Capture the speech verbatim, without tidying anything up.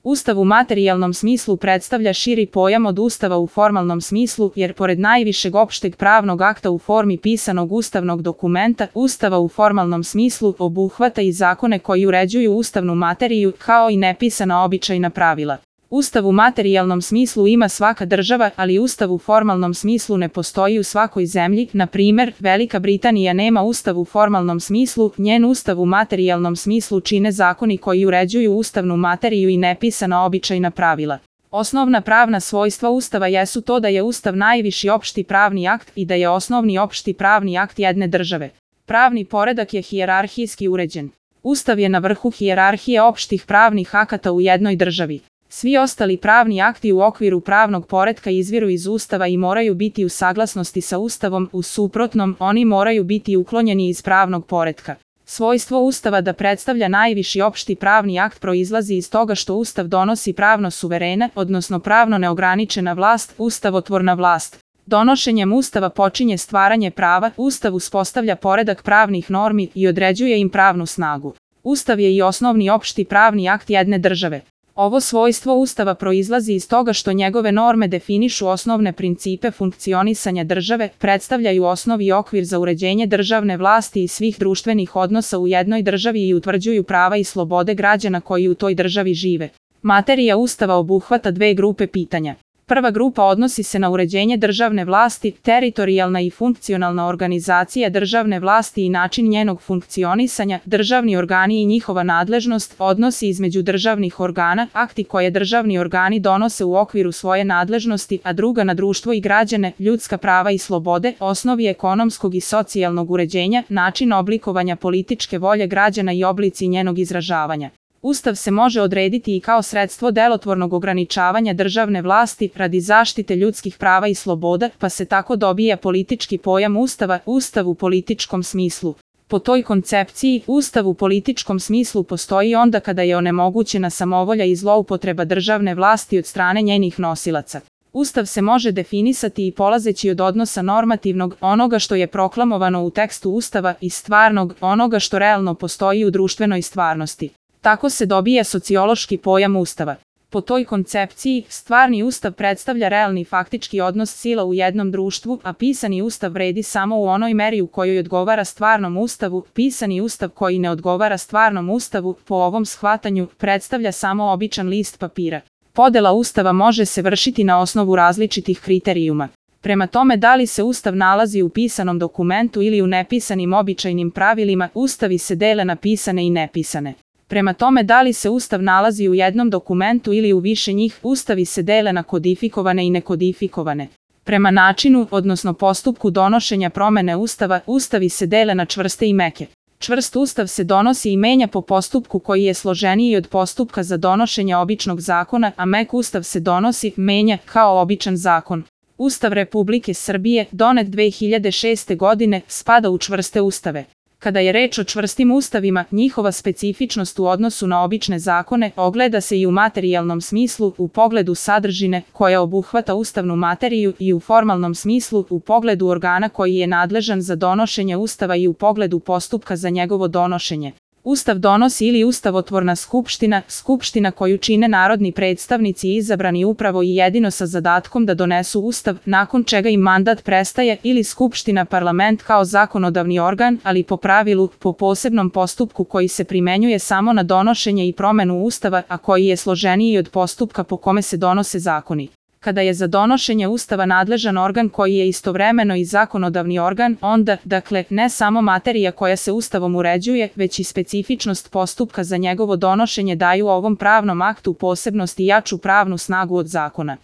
Ustav u materijalnom smislu predstavlja širi pojam od Ustava u formalnom smislu, jer pored najvišeg opšteg pravnog akta u formi pisanog ustavnog dokumenta, Ustava u formalnom smislu obuhvata i zakone koji uređuju ustavnu materiju, kao i nepisana običajna pravila. Ustav u materijalnom smislu ima svaka država, ali Ustav u formalnom smislu ne postoji u svakoj zemlji. Na primer, Velika Britanija nema Ustav u formalnom smislu, njen Ustav u materijalnom smislu čine zakoni koji uređuju ustavnu materiju i nepisana običajna pravila. Osnovna pravna svojstva Ustava jesu to da je Ustav najviši opšti pravni akt i da je osnovni opšti pravni akt jedne države. Pravni poredak je hijerarhijski uređen. Ustav je na vrhu hijerarhije opštih pravnih akata u jednoj državi. Svi ostali pravni akti u okviru pravnog poretka izviru iz Ustava i moraju biti u saglasnosti sa Ustavom, u suprotnom, oni moraju biti uklonjeni iz pravnog poretka. Svojstvo Ustava da predstavlja najviši opšti pravni akt proizlazi iz toga što Ustav donosi pravno suverena, odnosno pravno neograničena vlast, ustavotvorna vlast. Donošenjem Ustava počinje stvaranje prava, Ustav uspostavlja poredak pravnih normi i određuje im pravnu snagu. Ustav je i osnovni opšti pravni akt jedne države. Ovo svojstvo Ustava proizlazi iz toga što njegove norme definišu osnovne principe funkcionisanja države, predstavljaju osnov i okvir za uređenje državne vlasti i svih društvenih odnosa u jednoj državi i utvrđuju prava i slobode građana koji u toj državi žive. Materija Ustava obuhvata dve grupe pitanja. Prva grupa odnosi se na uređenje državne vlasti, teritorijalna i funkcionalna organizacija državne vlasti i način njenog funkcionisanja, državni organi i njihova nadležnost, odnosi između državnih organa, akti koje državni organi donose u okviru svoje nadležnosti, a druga na društvo i građane, ljudska prava i slobode, osnovi ekonomskog i socijalnog uređenja, način oblikovanja političke volje građana i oblici njenog izražavanja. Ustav se može odrediti i kao sredstvo delotvornog ograničavanja državne vlasti radi zaštite ljudskih prava i sloboda, pa se tako dobija politički pojam Ustava, Ustav u političkom smislu. Po toj koncepciji, Ustav u političkom smislu postoji onda kada je onemogućena samovolja i zloupotreba državne vlasti od strane njenih nosilaca. Ustav se može definisati i polazeći od odnosa normativnog, onoga što je proklamovano u tekstu Ustava, i stvarnog, onoga što realno postoji u društvenoj stvarnosti. Tako se dobija sociološki pojam Ustava. Po toj koncepciji, stvarni Ustav predstavlja realni faktički odnos sila u jednom društvu, a pisani Ustav vredi samo u onoj meri u kojoj odgovara stvarnom Ustavu. Pisani Ustav koji ne odgovara stvarnom Ustavu, po ovom shvatanju, predstavlja samo običan list papira. Podela Ustava može se vršiti na osnovu različitih kriterijuma. Prema tome da li se Ustav nalazi u pisanom dokumentu ili u nepisanim običajnim pravilima, Ustavi se dele na pisane i nepisane. Prema tome da li se Ustav nalazi u jednom dokumentu ili u više njih, Ustavi se dele na kodifikovane i nekodifikovane. Prema načinu, odnosno postupku donošenja promene Ustava, Ustavi se dele na čvrste i meke. Čvrst Ustav se donosi i menja po postupku koji je složeniji od postupka za donošenje običnog zakona, a mek Ustav se donosi, menja, kao običan zakon. Ustav Republike Srbije, donet dve hiljade šeste. godine, spada u čvrste ustave. Kada je reč o čvrstim ustavima, njihova specifičnost u odnosu na obične zakone ogleda se i u materijalnom smislu, u pogledu sadržine, koja obuhvata ustavnu materiju, i u formalnom smislu, u pogledu organa koji je nadležan za donošenje Ustava i u pogledu postupka za njegovo donošenje. Ustav donosi ili ustavotvorna skupština, skupština koju čine narodni predstavnici izabrani upravo i jedino sa zadatkom da donesu Ustav, nakon čega im mandat prestaje, ili skupština parlament kao zakonodavni organ, ali po pravilu, po posebnom postupku koji se primenjuje samo na donošenje i promenu Ustava, a koji je složeniji od postupka po kome se donose zakoni. Kada je za donošenje Ustava nadležan organ koji je istovremeno i zakonodavni organ, onda, dakle, ne samo materija koja se Ustavom uređuje, već i specifičnost postupka za njegovo donošenje daju ovom pravnom aktu posebnost i jaču pravnu snagu od zakona.